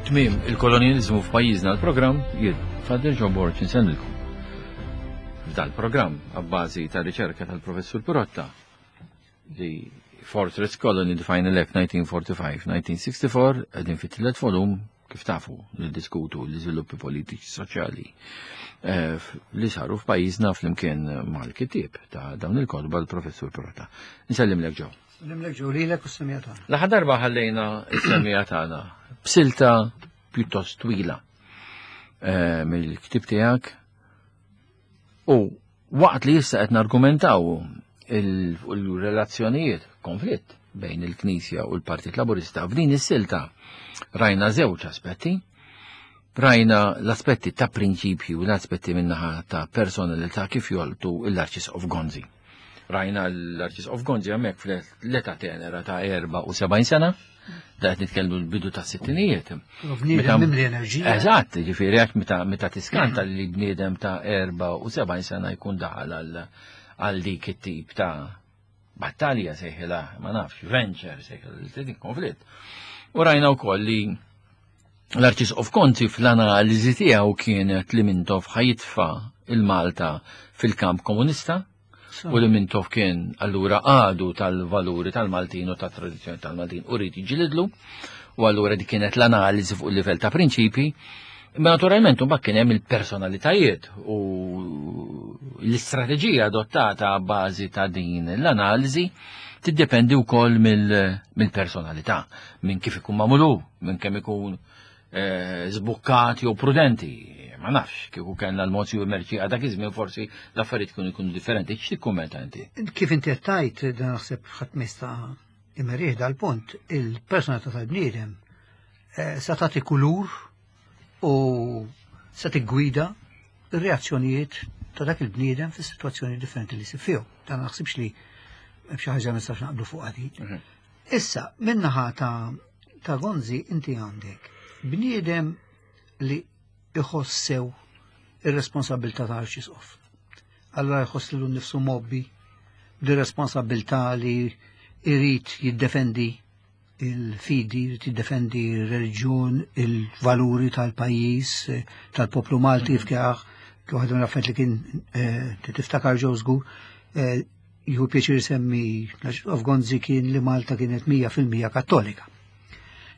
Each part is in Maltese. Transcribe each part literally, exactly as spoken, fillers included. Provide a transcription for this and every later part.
Tmiem il-kolonjalizmu f'pajjiżna l-programm jien Father Joe Borg insellmilkom. F'dal-programm abbażi ta' riċerka tal-Professur Pirotta li Fortress Colony The Final Act nineteen forty-five nineteen sixty-four, qegħdin fit-tielet volum, kif tafu, li diskutu l-iżviluppi politiċi soċjali eh, li saru f'pajjiżna flimkien mal-kittieb ta' dawn il-kotba, l-Professur Pirotta. Nsellimlek, Joe. Nsellimlek, Joe, lilek u s-semmiegħa tagħna. L-aħħar darba ħallejna s-semmiegħa tagħna b'silta pjuttost twila eh, mill-ktib tiegħek u waqt li issa qed nargumentaw il-relazzjonijiet, konflitt bejn il-Knisja u l-Partit Laburista, f'din is-silta rajna żewġ aspetti. Rajna l-aspetti ta' prinċipju u l-aspetti min-naħa ta' personalità kif jolqtu l-Arċisqof Gonzi. Rajna l-Arċisqof Gonzi hemmhekk fl-età tenera ta' erbgħa u sebgħin sena, da qed nitkellmu l-bidu ta' sittinijiet. Bniedem mimli enerġija. Eżatt, ġifieri għax meta meta tiskanta li bniedem ta' erbgħa u sebgħin sena jkun daħal għal għal dik it-tip ta' battalja sejħila, ma nafx, venture sejħila, dik konflitt. U rajna wkoll li l-Arċisqof Gonzi fl-analiżi tiegħu kienet li Mintoff ħa jitfa' 'l Malta fil-kamp komunista u li Mintoff kien allura għadu tal-valuri tal-Maltin u tat-tradizzjoni tal-Maltin u rrid jiġġilidlu, u allura dik kienet l-analiżi fuq il-livell ta' prinċipi. Imma naturalment mbagħad kien hemm il-personalitajiet u l-istrateġija adottata a bażi ta' din l-analiżi tiddependi wkoll mill-personalità, minn kif ikun magħmulu, minn kemm ikun eh, żbukkat jew prudenti. Ma nafx, kieku kellna l-Monsinjur Mercieca dak iż-żmien, forsi l-affarijiet kienu jkunu differenti. X'tikkummenta inti? Kif inti qed tgħid, dan naħseb ħadd ma jista' imerih dal-punt, il-personalità tal-bniedem eh, sa tagħti kulur u sa tiggwida ir-reazzjonijiet ta' dak il-bniedem fis situazzjoni differenti li jsib fihom. Dan naħsibx li hemm xi ħaġa nistax naqblu fuq di. Issa, min-naħa ta' ta' Gonzi inti għandek bniedem li iħossew ir-responsabilità ta' arċisqof. Allora jħoss lilu nnifsu mgħobbi di responsabilità li jrid jiddefendi il-fidi, jrid jiddefendi il-reliġjon, il-valuri tal-pajjiż, eh, tal-poplu Malti fkjaħ, kif waħda mill-affarijiet li kien eh, tiftakar, Joe, żgur, eh, jieħu pjaċir semmi l Gonzi kien li Malta kienet mija fil-mija kattolika.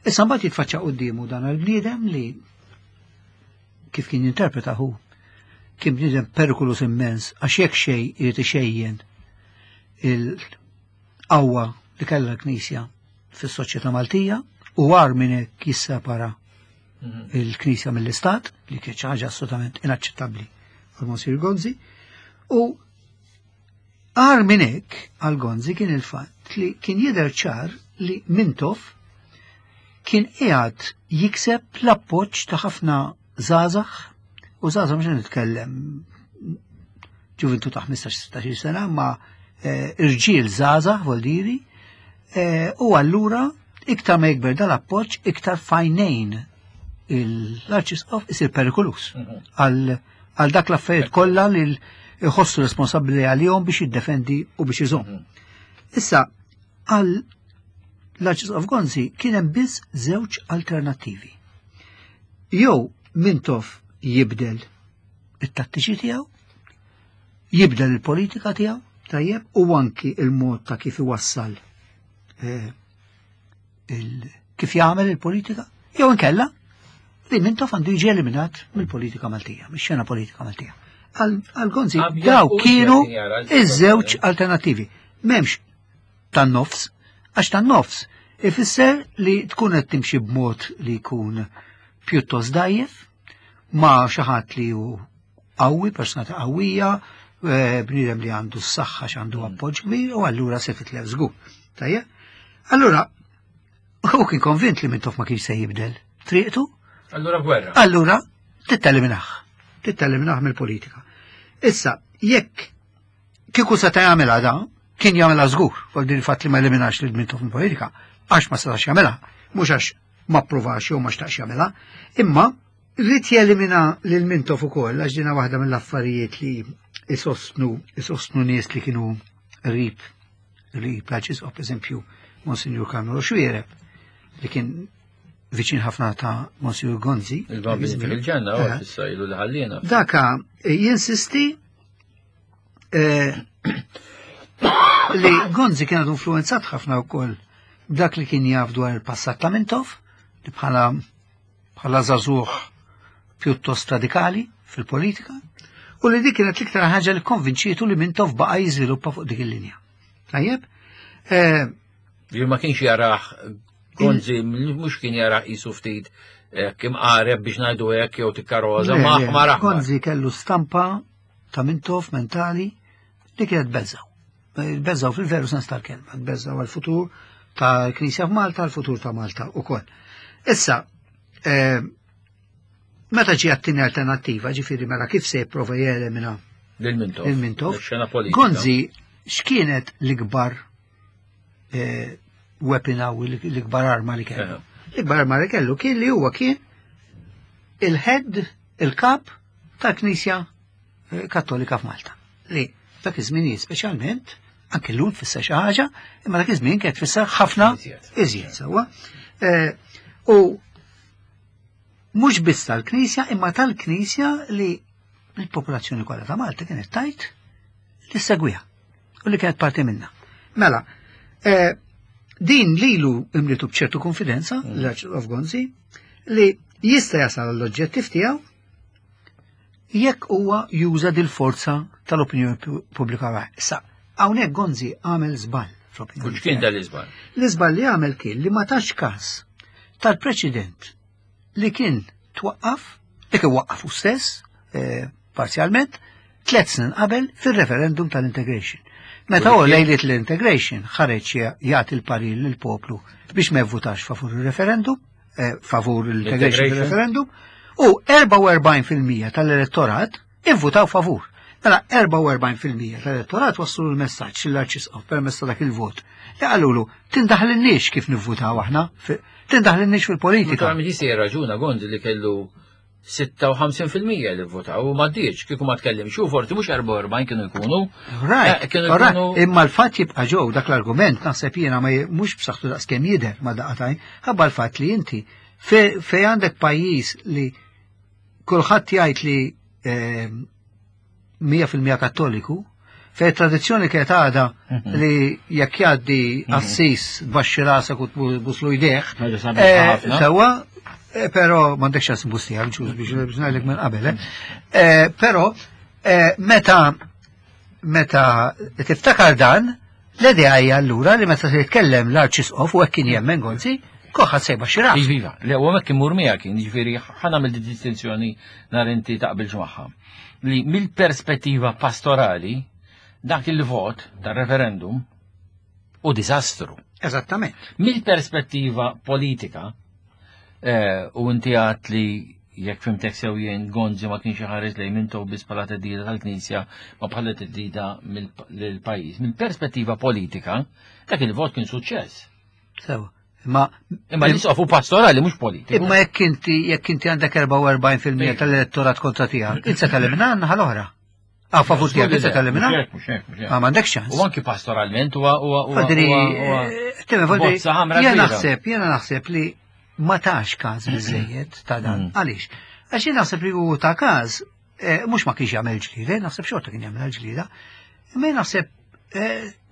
Issa mbagħad jitfaċċa quddiemu dan il-bniedem li kif kien jinterpreta hu kien bniedem perikolus immens, għax jekk xejn irid ixejjen il-qawwa li kellha l-Knisja fis-soċjetà Maltija u għar minn hekk jissepara il-Knisja mill-Istat, li kienet xi ħaġa assolutament inaċċettabbli għal Monsignor Gonzi, u għar minn hekk għal Gonzi kien il-fatt li kien jidher ċar li Mintoff kien qiegħed jikseb l-appoġġ ta' ħafna żgħażagħ, u żgħażagħ mhux nitkellem ġuvintu ta' ħmistax sittax-il sena, ma eh, irġiel żgħażagħ voldiri, eh, u allura iktar ma jikber dal-appoġġ, iktar f'għajnejn l-Arċisqof isir perikolus għal għal dak l-affarijiet kollha li jħossu responsabbli għalihom biex jiddefendi u biex iżomm. Issa, għal l-Arċisqof Gonzi kien hemm biss żewġ alternattivi. Jew Mintoff jibdel it-tattiċi tiegħu, jibdel il-politika tiegħu, tajjeb, u anki il-mod ta' kif iwassal eh, il kif jagħmel il-politika, jew inkella li Mintoff għandu jiġi eliminat mill-politika Maltija, mix-xena politika Maltija. Għal Gonzi daw kienu iż-żewġ alternattivi. M'hemmx tan-nofs, għax tan-nofs ifisser li tkun qed timxi b'mod li jkun pjuttost dajjef ma' xi ħadd li hu qawwi, personalità qawwija, eh, bniedem li għandu s-saħħa, għandu appoġġ kbir, u allura se titlef żgur. Tajjeb? Allura, hu kien konvint li Mintoff ma kienx se jibdel triqtu. Allura gwerra. Allura, teliminah. Teliminah mill-politika. Issa, jekk kieku seta' jagħmilha da, kien jagħmilha żgur, fuq din il-fatt li ma eliminax lil Mintoff mill-politika, għax ma setax jagħmilha, mhux għax ma pprovax jew ma xtaqx jagħmilha, imma rrid jelimina lil Mintoff ukoll, għax dina waħda mill-affarijiet li isostnu isostnu nies li kienu qrib qrib l-Arċisqof, eżempju, Monsignor Carmelo Xuereb, li kien viċin ħafna ta' Monsieur Gonzi. Il-Bambin fil-ġenna, u issa ilu li ħallina. Daka jinsisti li Gonzi kien għadu influenzat ħafna wkoll dak li kien jaf dwar il-passat ta' Mintoff, li bħala bħala żagħżugħ pjuttost radikali fil-politika, u li dik kienet l-iktar ħaġa li konvinċietu li Mintoff baqa' jiżviluppa fuq dik il-linja. Tajjeb? Li ma kienx jarah Gonzi, mhux kien jarah qisu ftit kim qareb biex ngħidu hekk jew tikkaroza, ma aħmar aħmar. Gonzi kellu stampa ta' Mintoff mentali li kienet beżgħu. Beżgħu fil-veru sens tal-kelma, beżgħu għal-futur tal-Knisja f'Malta, għal-futur ta' Malta ukoll. Issa, meta ġie għat-tieni alternattiva, ġifieri mela kif se jipprova jelimina lil Mintoff. Lil Mintoff. Gonzi x'kienet l-ikbar weapon għaw, l-ikbar arma li kellu? L-ikbar arma li kellu kien li huwa kien il-head, il-kap tal-Knisja Kattolika f'Malta. Li dak iż-żmien speċjalment, anke llum tfisser xi ħaġa, imma dak iż-żmien kienet tfisser ħafna iżjed sewwa. U mhux biss tal-Knisja, imma tal-Knisja li l-popolazzjoni kollha ta' Malta kienet tajt li segwiha u li kienet parti minnha. Mela, din lilu imlitu b'ċertu konfidenza l-Arċisqof Gonzi li jista' jasal l-oġġettiv tiegħu jekk huwa juża dil-forza tal-opinjoni pubblika. Issa, hawnhekk Gonzi għamel żball fl-opinjoni. X'kien dan l-iżball? L-iżball li għamel kien li ma tax każ tal-preċedent li kien twaqqaf, li kien waqqafu stess, parzjalment, tliet snin qabel fir-referendum tal-integration. Meta hu lejliet l-integration ħareġ jagħti l-parir lill-poplu biex ma jivvutax favur il-referendum, favur l-integration fil-referendum, u erbgħa u erbgħin fil-mija tal-elettorat ivvutaw favur. Mela erbgħa u erbgħin fil-mija tal-elettorat wasslu l-messaġġ lill-Arċisqof permezz ta' dak il-vot. Li qalulu tindaħlinniex kif nivvutaw aħna, tindaħlinniex fil-politika. Ma jista' jirraġuna Gonzi li kellu sitta u ħamsin fil-mija li votaw u ma ddiċ, kieku ma tkellimx, u forsi mhux erbgħa u erbgħin kienu jkunu. Right, imma l-fatt jibqa' ġew dak l-argument naħseb jiena ma mhux b'saħħtu daqskemm jidher ma daqatajn, ħabba l-fatt li inti fej għandek pajjiż li kulħadd jgħid li mija fil-mija Kattoliku, fej tradizzjoni kienet għadha li jekk jgħaddi assis tbaxxi rasek u tbuslu jdejh, sewwa, però m'għandekx ċans nbustija, ġuż biex ngħidlek minn qabel, però meta meta tiftakar dan, l-idea hija allura li meta se jitkellem l-Arċisqof u hekk kien jemmen Gonzi, koħħa sejba xi ras. Iva, le huwa hekk imur miegħek kien, jiġifieri ħa nagħmel di distinzjoni nhar inti taqbilx magħha. Li mill-perspettiva pastorali dak il-vot tar-referendum u diżastru. Eżattament. Mill-perspettiva politika, u inti għat li jekk fimtek sew jien Gonzi ma kienx iħares lejn Mintoff biss bħala theddida tal-Knisja ma bħala theddida lill-pajjiż. Mill-perspettiva politika, dak il-vot kien suċċess. Sewa. Imma imma l-isqof hu pastorali mhux politiku. Imma jekk inti jekk inti għandek erbgħa u erbgħin fil-mija tal-elettorat kontra tiegħek, inti se telimina naħa l-oħra. Ah, favur tiegħek inti se telimina? Ah, m'għandekx ċans. U anki pastoralment huwa huwa huwa. Jiena naħseb, jiena naħseb li ma tax każ biżejjed ta' dan. Għaliex? Għax jien naħseb li hu ta' każ mhux ma kienx jagħmel ġlida, naħseb xorta kien jagħmel ġlida. Imma naħseb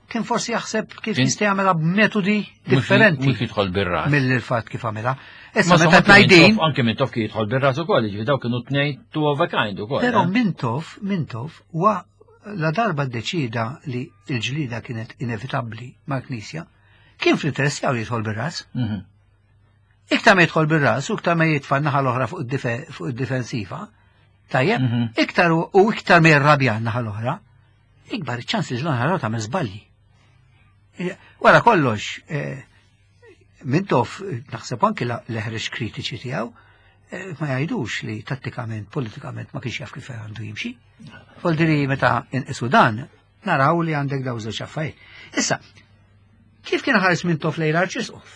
kien forsi jaħseb kif jista' jagħmilha b'metodi differenti. Mhux jidħol bir-ras. Mill-fatt kif għamilha. Issa meta tgħidin. Anke Mintoff kien jidħol bir-ras ukoll, jiġifieri dawk kienu tnejn two of a kind ukoll. Però Mintoff, Mintoff wa la darba ddeċida li l-ġlida kienet inevitabbli mal-Knisja, kien fl-interess tiegħu jidħol bir-ras. Iktar ma jidħol bir-ras u iktar ma jitfa' naħa l-oħra fuq id-difensiva, tajjeb, iktar u iktar ma jirrabja naħa l-oħra, ikbar iċ-ċans li l-oħra tagħmel żbalji. Wara kollox, Mintoff naħseb anki l-eħreġ kritiċi tiegħu ma jgħidux li tattikament, politikament ma kienx jaf kif għandu jimxi. Voldiri meta inqisu dan, naraw li għandek daw żewġ affarijiet. Issa, kif kien ħares Mintoff lejn l-Arċisqof?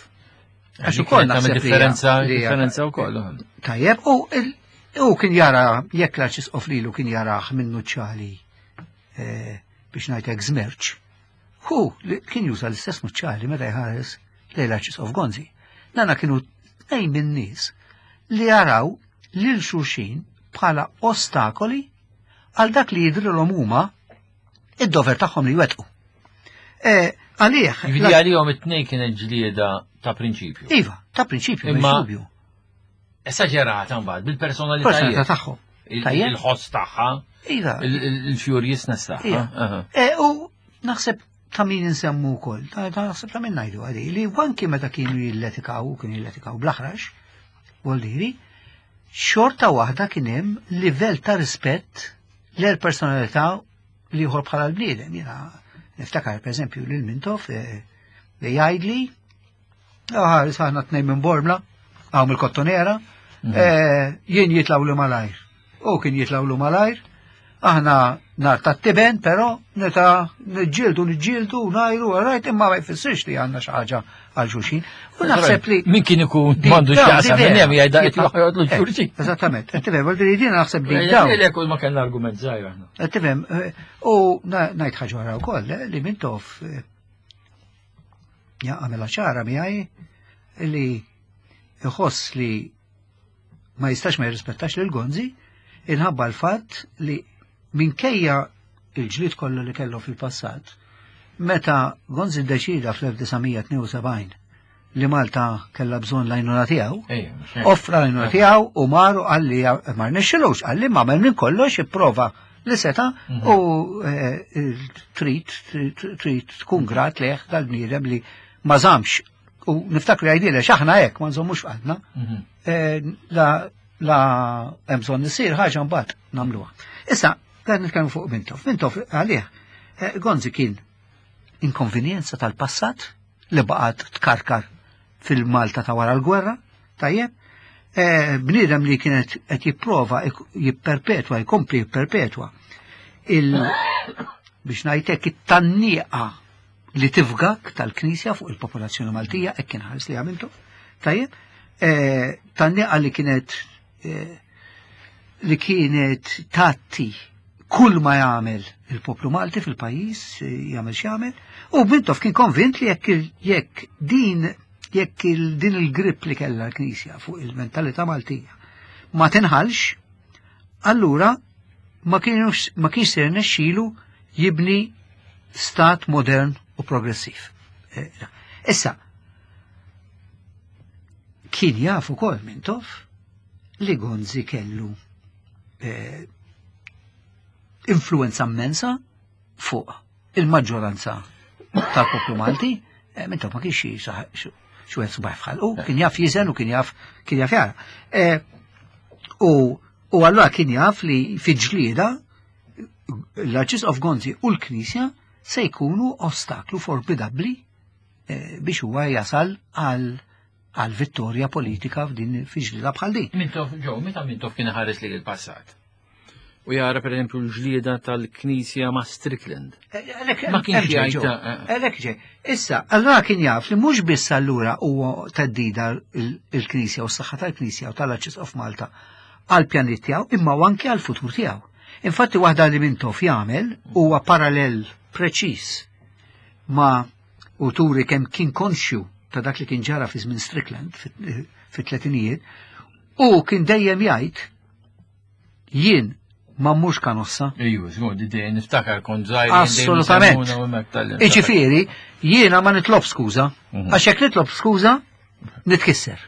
Għax ukoll naħseb differenza, differenza wkoll. Tajjeb, u kien jara jekk l-Arċisqof lilu kien jarah minn nuċċali biex ngħidlek żmerċ. Hu kien juża l-istess nuċċali meta jħares lejn l-Arċisqof Gonzi. Nana kienu tnejn min-nies li jaraw lil xulxin bħala ostakoli għal dak li jidrilhom huma id-dover tagħhom li jwettqu. E, għalih. Jiġifieri għalihom it-tnejn kienet ġlieda ta' prinċipju. Iva, ta' prinċipju, Imma dubju. Esaġerata mbagħad bil-personalità Personalità tagħhom. Il-ħoss tagħha. Iva. Il-furiousness tagħha. E, u naħseb ta' min insemmu wkoll, ta' naħseb ta' min ngħidu għadi, li anki meta kienu jilletikaw, kienu jilletikaw bl-aħrax, voldiri, xorta waħda kien hemm livell ta' rispett l personalità li jħor bħala l-bniedem. Jiena niftakar per eżempju lil Mintoff li jgħidli, ah, aħna tnejn minn Bormla, hawn mill-Kottonera, jien jitlawlu malajr. U kien jitlawlu malajr, aħna nar ta' tiben, però neta niġġieldu niġġieldu ngħidu rajt imma ma jfissirx li għandna xi ħaġa għal xulxin. U naħseb li min kien ikun m'għandu x'jaqsam minn hemm jgħidha qed joħodlu xulxin. Eżattament. Qed tifhem, voldiri din naħseb li dawn. Lek ma kellna argument żgħir aħna. Qed tifhem, u ngħid ħaġa oħra wkoll li Mintoff għamilha ċara miegħi li iħoss li ma jistax ma jirrispettax lil Gonzi inħabba l-fatt li minkejja il-ġlied kollu li kellu fil-passat, meta Gonzi ddeċida fl-elf disa' mija tnejn u sebgħin li Malta kellha bżonn l-għajnuna tiegħu, offra l-għajnuna tiegħu u maru għalli ma rnexxilux, għalli ma għamel minn kollox ipprova li seta u trid trid tkun grat leħ dal-bniedem li ma żamx. U niftakru jgħidilha x'aħna hekk ma nżommux f'qalbna. La la hemm bżonn isir ħaġa mbagħad nagħmluha. Issa dan nitkellmu fuq Mintoff. Mintoff għalih Gonzi kien inkonvenjenza tal-passat li baqgħet tkarkar fil-Malta ta' wara l-gwerra, tajjeb, bniedem li kienet qed jipprova jipperpetwa, jkompli jipperpetwa il biex ngħidlek it-tannieqa li tifgak tal-Knisja fuq il-popolazzjoni Maltija, hekk kien ħares li għamiltu, tajjeb, tannieqa li kienet li kienet tatti kull ma jagħmel il-poplu Malti fil-pajjiż, jagħmel x'jagħmel, u Mintoff kien konvint li jekk jekk din jekk din il-grip li kellha l-Knisja fuq il-mentalità Maltija ma tinħalx, allura ma kienx ma kienx se jirnexxilu jibni stat modern u progressiv. Issa, kien jaf ukoll Mintoff li Gonzi kellu eh, influenza immensa fuq il-maġġoranza tal-poplu Malti. Eh, Mintoff ma kienx xi wieħed subaħ f'ħalqu, kien jaf jiżen u kien jaf kien jaf jara. Eh, u u allura kien jaf li fi ġlieda l-Arċisqof Gonzi u l-Knisja se jkunu ostaklu formidabbli eh, biex huwa jasal għal għal vittorja politika f'din fi ġlieda bħal din. Mintoff ġew, meta Mintoff kien ħares li l-passat? U jara per eżempju l-ġlieda tal-Knisja ma' Strickland. Ma kienx jgħid. Għalhekk ġej. Issa, allura kien jaf li mhux biss allura huwa teddida il-Knisja u s-saħħa tal-Knisja u tal-Arċisqof Malta għal pjanit tiegħu, imma anke għal futur tiegħu. Infatti waħda li Mintoff jagħmel huwa parallel preċiż ma' u turi kemm kien konxju ta' dak li kien ġara fi żmien Strickland fit-tletinijiet, u kien dejjem jgħid jien ma mhux kanossa. Ejju, żgur, dejjem niftakar kont żgħir. Assolutament. Iġifieri, jiena ma nitlob skuża, għax jekk nitlob skuża, nitkisser.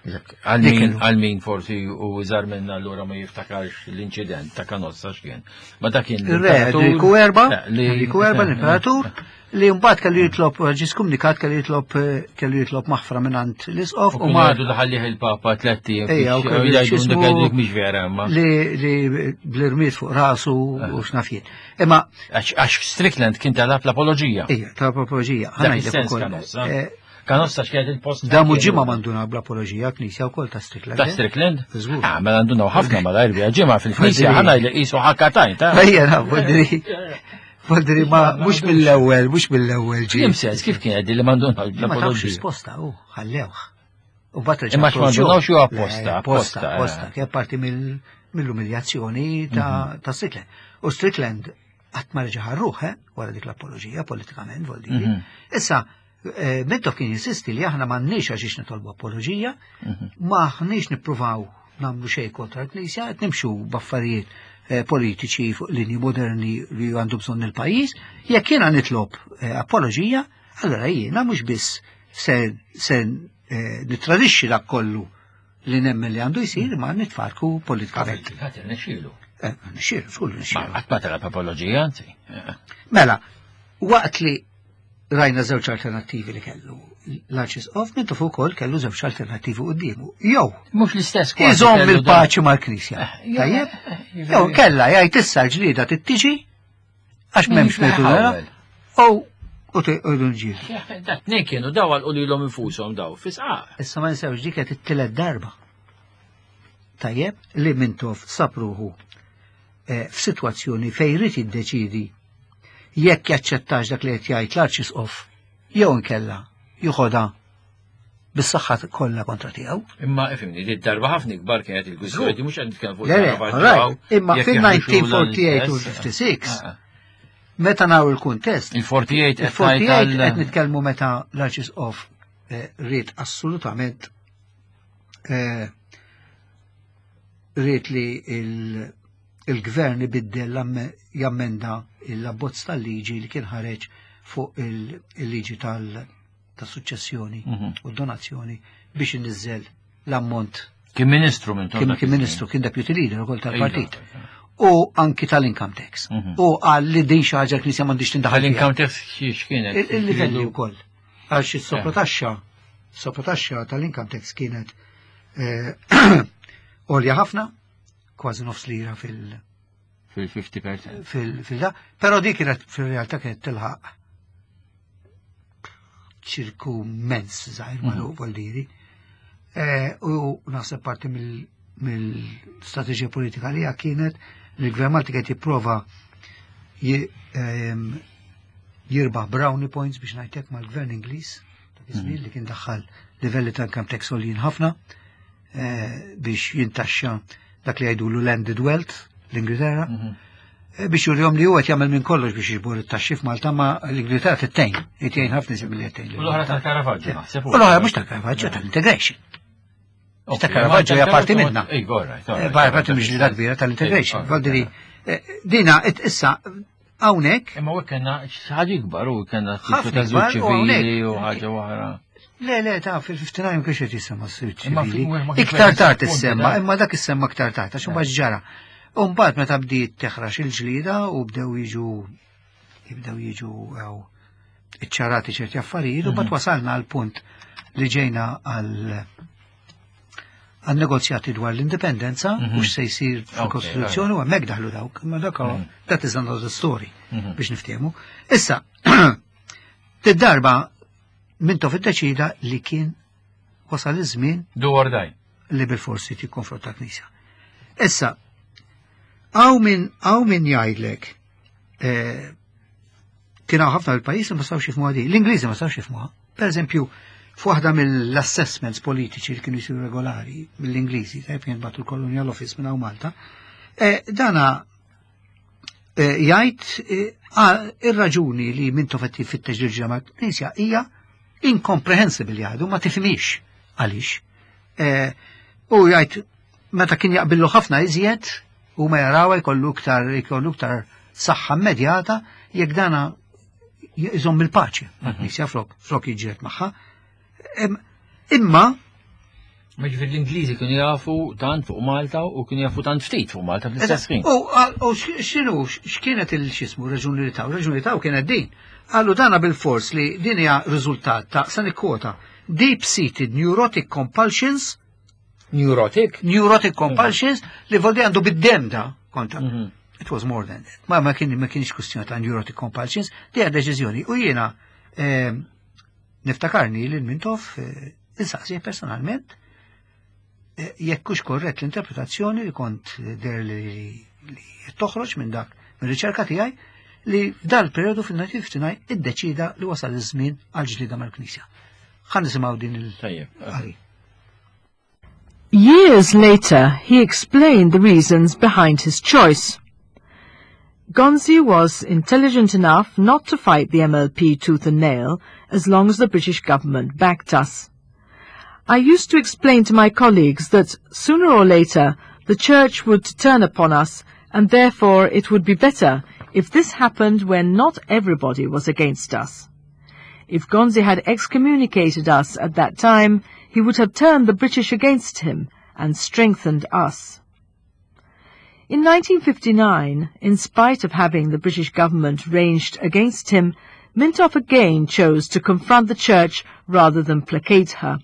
Għal min forsi u iżgħar minna allura ma jiftakarx l-inċident ta' Kanossa x'kien. Ma dak kien Ir-re Enriku Erba, Enriku Erba l-imperatur, li mbagħad kellu jitlob ġie skomunikat, kellu jitlob kellu jitlob maħfra mingħand l-isqof u ma jgħidu daħallih il-Papa tliet ijiem. Ejja, u jgħidu mhix vera imma. Li li bl-irmied fuq rasu u x'naf jien. Imma għax Strickland kien talab l-apoloġija. Ejja, talab l-apoloġija. Ħa ngħidlek ukoll. Kanossa x'kienet il-post. Damu ġimgħa manduna bl-apoloġija Knisja wkoll ta' Strickland. Ta' Strickland? Ah, mela ndunaw ħafna malajr biha ġimgħa fil-Knisja ħana li qisu ħakkatajn ta' Ejja, naf, voldiri. Voldiri ma mhux mill-ewwel, mhux mill-ewwel ġie. Kif sens kif kien li manduna Ma tafx risposta hu ħallewh. U mbagħad Imma x'mandunawx xi apposta, apposta, apposta, kien parti mill-umiljazzjoni ta' Strickland. U Strickland qatt ma reġa' ħarruh, eh, wara dik l-apoloġija politikament, voldiri. Issa Eh, Mintoff kien jinsisti li aħna m'għandniex għax nitolbu apoloġija, m'aħniex nippruvaw nagħmlu xejn kontra l-Knisja, qed nimxu b'affarijiet eh, politiċi fuq linji moderni li għandu bżonn il-pajjiż, jekk jiena nitlob eh, apoloġija, allora jiena mhux biss se se eh, nitradixxi dak kollu li nemmen li għandu jsir, ma nitfarku politikament. Ħadd irnexxielu. Eh, Nixxielu, żgur Ma nixxielu. qatt ma talab apoloġija, anzi. Mela, waqt li rajna żewġ alternattivi li kellu l-Arċisqof, Mintoff ukoll kellu żewġ alternattivi quddiemu. Jew Mhux l-istess kważi iżomm kellu il-paċi mal-Knisja. Eh, jew- Tajjeb? eh, Jew kella jgħid issa l-ġlieda tittiġi għax Min m'hemmx jiflaħ metodu ewwel. U u tqogħdu nġiel. Da tnejn kienu daw għalqu lilhom infushom daw fisqaq. Issa ma ninsewx dik qed it-tielet darba. Tajjeb li Mintoff sab ruħu eh, f'sitwazzjoni fejn irid jiddeċidi jekk jaċċettax dak li qed jgħid l-Arċisqof jew inkella joħodha bis-saħħa kollha kontra tiegħu. Imma ifhimni, di darba ħafna ikbar kienet il-kwistjoni, mhux qed nitkellem fuq Le, le, il-Caravaggio, alright, imma jekk fil-elf disa' mija u tlieta u erbgħin u jaħdux ħamsa u ħamsin, Ah, ah. meta naraw il-kuntest, Il-erbgħa u tletin qed il-erbgħa u tletin tgħid qed nitkellmu meta l-Arċisqof eh, ried assolutament eh, ried li il- il-gvern ibiddel l-amme- jammenda l-abbozz tal-liġi li kien ħareġ fuq il- il-liġi tal- tas-suċċessjoni Mhm. u donazzjoni biex inniżżel l-ammont. Kien ministru minn kien kien ministru, kien deputy leader ukoll tal-partit. U anki tal-income tax. Mhm. U qal li din xi ħaġa l-Knisja m'għandix tindaħal fiha. Tal-income tax x'kienet? Il- Il-livelli wkoll. Għax is-soprotaxxa, soprotaxxa tal-income tax kienet eh, għolja ħafna, kważi nofs lira fil- Fil-fifty percent. fil- fil-da, però di kienet fil-realtà kienet tilħaq ċirku mens żgħir magħluq voldiri. Eh, U naħseb parti mill- mill-strateġija politika li kienet li l-Gvern Malti qed jipprova ji- ehm, jirbaħ brownie points biex ngħidlek mal-Gvern Ingliż dak iż-żmien li kien daħħal livelli ta' income tax għoljin ħafna eh, biex jintaxxa dak li jgħidulu landed wealth l-Ingilterra Mhm. eh, biex jurihom li huwa qed jagħmel minn kollox biex jiġbor it-taxxi f'Malta, ma l-Ingilterra tittejn, qed jgħin ħafna isem li qed U l-oħra tal-Caravaggio, naħseb. U l-oħra mhux tal-Caravaggio, tal-integration. Ta' Caravaggio hija parti minna. Ej, all right, all Eh, right. Parti parti mill-ġlida kbira tal-integration. Eh, Valdiri, eh, dina it- issa hawnhekk Imma u kellna ħaġa ikbar u kellna Ħafna ta' ikbar, u ċivili u hawnhekk. ħaġa oħra. Le, le, ta' fil-ħamsa u ħamsin kiex qed jissemma s-suq Imma ċivili. fi- ma kienx Iktar tard punti issemma, da. imma dak issemma iktar tard, għax imbagħad ġara. U mbagħad meta bdiet teħrax il-ġlida u bdew jiġu jibdew jiġu għaw iċċarati ċerti affarijiet, u mbagħad wasalna għal punt li ġejna għal għal negozjati dwar l-indipendenza Mhm. u x'se jsir fil-Kostituzzjoni u hemmhekk daħlu dawk, imma dak huwa- Mhm. that is another story Mhm. biex niftehmu. Issa, tid-darba Mintoff iddeċida li kien wasal iż-żmien Do or die. li bil-forsi tikkonfronta l-Knisja. Issa, hawn min hawn min jgħidlek eh, kien hawn ħafna l-pajjiż li ma stawx jifhmuha di. L-Ingliżi ma stawx jifhmuha. Per eżempju, f'waħda mill-assessments politiċi li kienu jsiru regolari mill-Ingliżi, tajb kien bagħtu l-Colonial Office minn hawn Malta, eh, dana eh, jgħid eh, ah, ir-raġuni li Mintoff qed jfittex il mal-Knisja hija incomprehensible, jgħidu ma tifhimix għaliex. Eh, U jgħid meta kien jaqbillu ħafna iżjed u ma jaraw jkollu iktar jkollu iktar saħħa immedjata jekk dana jżomm il-paċi mal-Knisja flok flok jiġġieled magħha. Em, Imma Ma ġifieri l-Ingliżi kienu jafu tant fuq Malta u kienu jafu tant ftit fuq Malta fl-istess ħin. U u x- x'inhu x'kienet il-xismu raġuni li taw? Raġuni li taw kienet din. Qalu dana bil-fors li din hija riżultat ta', se nikkwota, deep-seated neurotic compulsions. Neurotic? Neurotic compulsions li voldi għandu bid-dem da kontra. Mhm. It was more than that. Ma ma kien ma kienx kwestjoni ta' neurotic compulsions, di għad deċiżjoni. U jiena eh, niftakarni li l-Mintoff eh, insaqsi personalment eh, jekk hux korrett l-interpretazzjoni li kont der li, li toħroġ minn dak mir-riċerka tiegħi li f'dal periodu fil-elf disa' mija u ħamsa u ħamsin iddeċida li wasal iż-żmien għal ġlida mal-Knisja. Ħa nisimgħu din il- Tajjeb. qari. Years later, he explained the reasons behind his choice. Gonzi was intelligent enough not to fight the M L P tooth and nail as long as the British government backed us. I used to explain to my colleagues that sooner or later the church would turn upon us, and therefore it would be better if this happened when not everybody was against us. If Gonzi had excommunicated us at that time, he would have turned the British against him and strengthened us. In nineteen fifty-nine, in spite of having the British government ranged against him, Mintoff again chose to confront the church rather than placate her.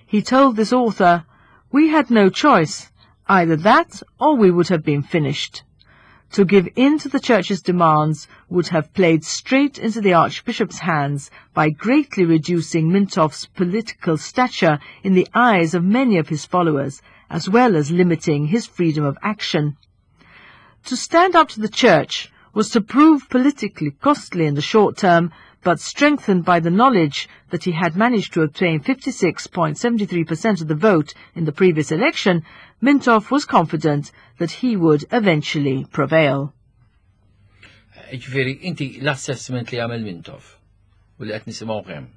He told this author, "We had no choice, either that or we would have been finished. To give in to the church's demands would have played straight into the Archbishop's hands by greatly reducing Mintoff's political stature in the eyes of many of his followers, as well as limiting his freedom of action. To stand up to the church was to prove politically costly in the short term, but strengthened by the knowledge that he had managed to obtain fifty-six point seven three percent of the vote in the previous election, Mintoff was confident that he would eventually prevail." Ġifieri, inti l-assessment li għamel Mintoff u li qed nisimgħu kemm.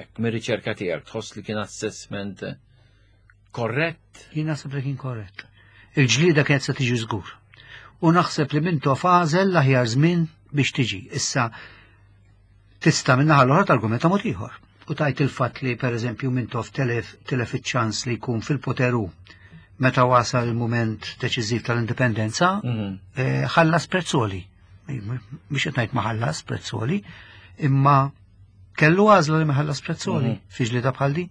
Jekk mir-riċerka tiegħek tħoss li kien assessment korrett? Jien naħseb li kien korrett. Il-ġlida kienet se tiġi żgur. U naħseb li Mintoff għażel l-aħjar żmien biex tiġi. Issa tista' min-naħa l-oħra targumenta mod ieħor. U tajt il-fatt li pereżempju Mintoff telef telef iċ-ċans li jkun fil-poter hu meta wasal il-moment deċiżiv tal-indipendenza, Mhm. eh, ħallas prezz għoli. Mhux qed ngħid ma ħallas prezz għoli, imma kellu għażla li ma ħallas prezz għoli Mhm. fi ġlieda bħal din.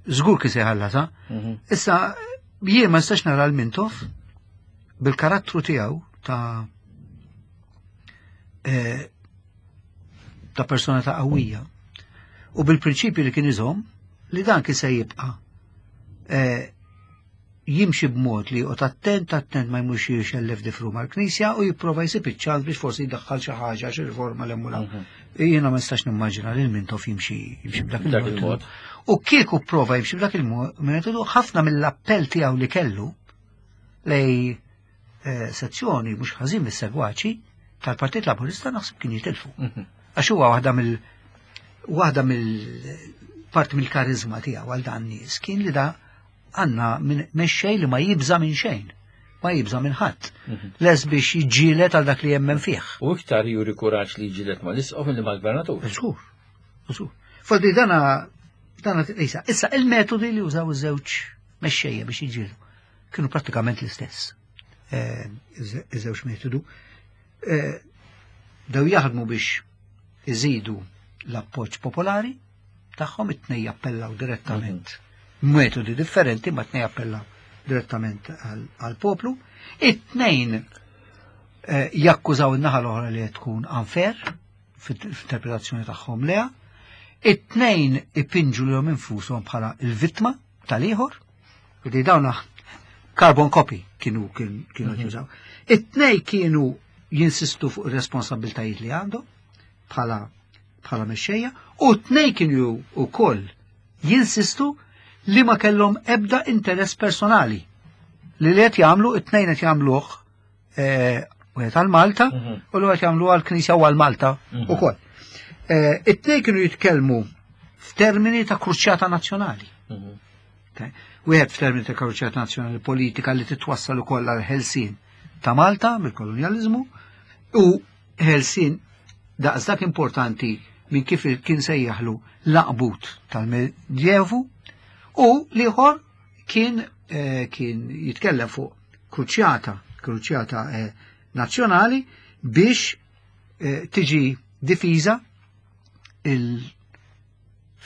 Żgur kien se jħallas, ha? Mhm. Issa, jien ma nistax nara l-Mintoff bil-karattru tiegħu ta' eh, ta' persona ta' qawwija u bil-prinċipju li kien iżomm li dan kien se jibqa' eh, jimxi b'mod li joqgħod attent attent ma jmurx jxellef difru mal-Knisja u jipprova jsib iċ-ċans biex forsi jdaħħal xi ħaġa, xi riforma l Mhm. Jiena ma nistax nimmaġina li l-Mintoff jimxi jimxi b'dak B'dak il-mod. il-mod. U kieku prova jimxi b'dak il-metodu, ħafna mill-appell tiegħu li kellu lej eh, sezzjoni mhux ħażin mis-segwaċi tal-Partit Laburista naħseb kien jitilfu. Mhm. Għax huwa waħda mill waħda mill parti mill-karizma tiegħu għal dan nies kien li da għandna minn mexxej li ma jibża minn xejn, ma jibża minn ħadd. Mhm. Les biex jiġġieled għal dak li jemmen fih. U iktar juri kuraġġ li jiġġieled ma l-isqof milli mal-gvernatur. Żgur, żgur. Foddi dana dana issa, issa il-metodi li użaw iż-żewġ mexxejja biex jiġġieldu kienu prattikament l-istess. Eh, Iż-żewġ metodu. Eh, Daw jaħdmu biex iżidu l-appoġġ popolari tagħhom, it-tnejn jappellaw direttament. Metodi differenti, ma t-tnejn jappellaw direttament għal-poplu. It-tnejn eh, jakkużaw in-naħa l-oħra li qed tkun unfair fit-interpretazzjoni tagħhom leha. It-tnejn ipinġu lilhom infushom bħala il-vittma tal-ieħor. Li dawna carbon copy kienu kienu kienu Mhm. jużaw. It-tnejn kienu jinsistu fuq ir-responsabiltajiet li għandhom bħala bħala mexxejja u t-tnejn kienu wkoll jinsistu li ma kellhom ebda interess personali li li qed jagħmlu it-tnejn qed jagħmluh eh, wieħed għal Malta Mhm. u li qed jagħmlu għal Knisja u għal Malta Mhm. ukoll. Eh, It-tnejn kienu jitkellmu f'termini ta' kruċjata nazzjonali. Mhm. Okay. Wieħed f'termini ta' kruċjata nazzjonali politika li titwassal ukoll għal ħelsien ta' Malta mill-kolonjaliżmu u ħelsien daqsdak importanti minn kif kien sejjaħlu l-għanqbut tal-Medjevu u l-ieħor kien eh, kien jitkellem fuq kruċjata, kruċjata eh, nazzjonali biex eh, tiġi difiża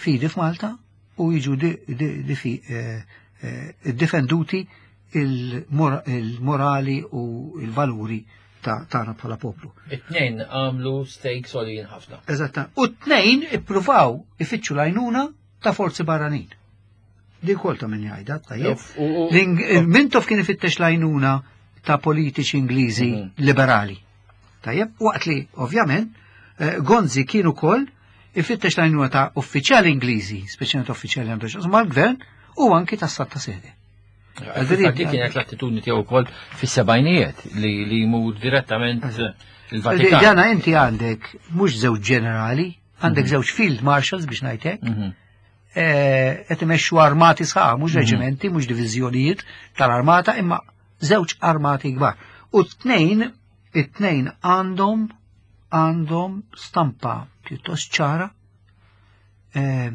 il-fidi f'Malta u jiġu di, di, difi, eh, eh, difenduti il-mor- il-morali u il-valuri ta' tagħna bħala poplu. It-tnejn għamlu stakes għoljin ħafna. Eżatta. U t-tnejn ippruvaw ifittxu l-għajnuna ta' forzi barranin. Di kol ta' min jgħidha, tajjeb. U- u- L-Ing- Mintoff kien ifittex l-għajnuna ta' politiċi Ingliżi Mhm. liberali. Tajjeb, waqt li, ovvjament, eh, Gonzi kien ukoll ifittex l-għajnuna ta' uffiċjali Ingliżi, speċjalment uffiċjali għandu x'jaqsmu mal-gvern, u anki ta' Santa Sede. Dik kienet l-attitudni tiegħu wkoll fis-sebgħinijiet li li jmur direttament il-Vatikan. Dana inti għandek mhux żewġ ġenerali, għandek mhm. żewġ field marshals biex ngħidlek. Mhm. Eh, qed imexxu armati sħaħ, mhux mhm. reġimenti, mhux diviżjonijiet tal-armata, imma żewġ armati kbar. U t-tnejn, it-tnejn għandhom għandhom stampa pjuttost ċara eh,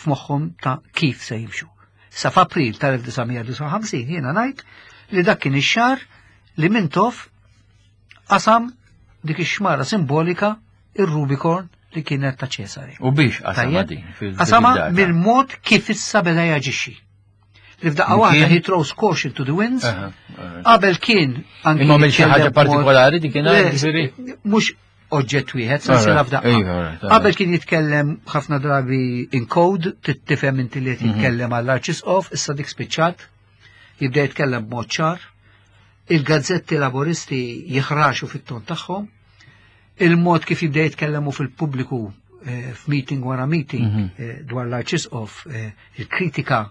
f'moħħhom ta' kif se jimxu. Sa f'April tal-elf disa' mija disgħa u ħamsin jiena ngħid li dak kien ix-xahar li Mintoff qasam dik ix-xmara simbolika, ir-Rubicon li kienet ta' Ċesari. U biex qasama din? Qasama mill-mod kif issa beda jaġixxi. Li f'daqqa waħda he throws caution to the winds. Qabel kien anki. Imma mill xi ħaġa partikolari dik kien? Mhux oġġett wieħed, sensiela f'daqqa. Iva, qabel kien jitkellem ħafna drabi in code, tifhem inti li qed mhm. jitkellem għall-Arċisqof, issa dik spiċċat, jibda jitkellem b'mod ċar. Il-gazzetti Laboristi jiħraxu fit-ton tagħhom, il-mod kif jibda jitkellemu fil-pubbliku eh, f'meeting wara meeting mhm. eh, dwar l-Arċisqof, eh, il-kritika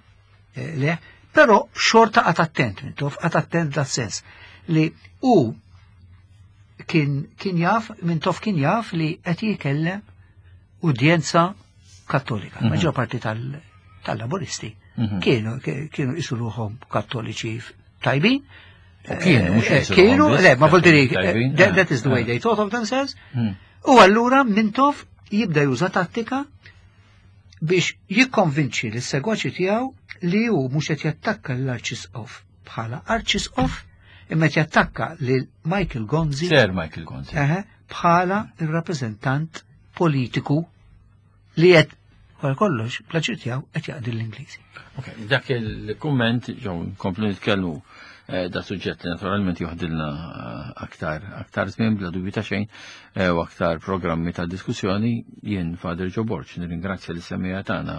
le, però xorta qagħad attent, Mintoff, qagħad attent da sens li u kien, kien jaf, Mintoff kien jaf li qed jikellem udjenza Kattolika. Mm -hmm. Maġġor parti tal-Laboristi mm -hmm. kienu kienu jqisu ruħhom Kattoliċi tajbin. Kienu, mhux eh, kienu, le, ma vuol that, that is the way they thought of themselves. Mm. U allura Mintoff jibda juża tattika biex jikkonvinċi l-segwaċi tiegħu li hu mhux qed jattakka l-Arċisqof bħala Arċisqof, imma qed jattakka lil Michael Gonzi. Sir Michael Gonzi. Bħala il-rappreżentant politiku li qed wara kollox pjaċir tiegħu qed jaqdi l-Ingliżi. Ok, dak il-kumment ġew nkomplu nitkellmu eh, da suġġett li naturalment joħdilna eh, aktar aktar żmien bla dubju ta' xejn eh, u aktar programmi ta' diskussjoni. Jien Father Joe Borg nirringrazzja lis-semmiegħa tagħna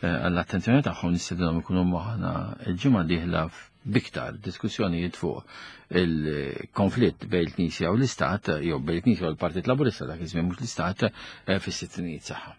għall-attenzjoni tagħhom, nistedinhom ikunu magħna l-ġimgħa dieħla b'iktar diskussjonijiet fuq il-konflitt bejn il-Knisja u l-Istat, jew bejn il-Knisja u l-Partit Laburista dak iż-żmien, mhux l-Istat, fis-sittinijiet. Saħħa.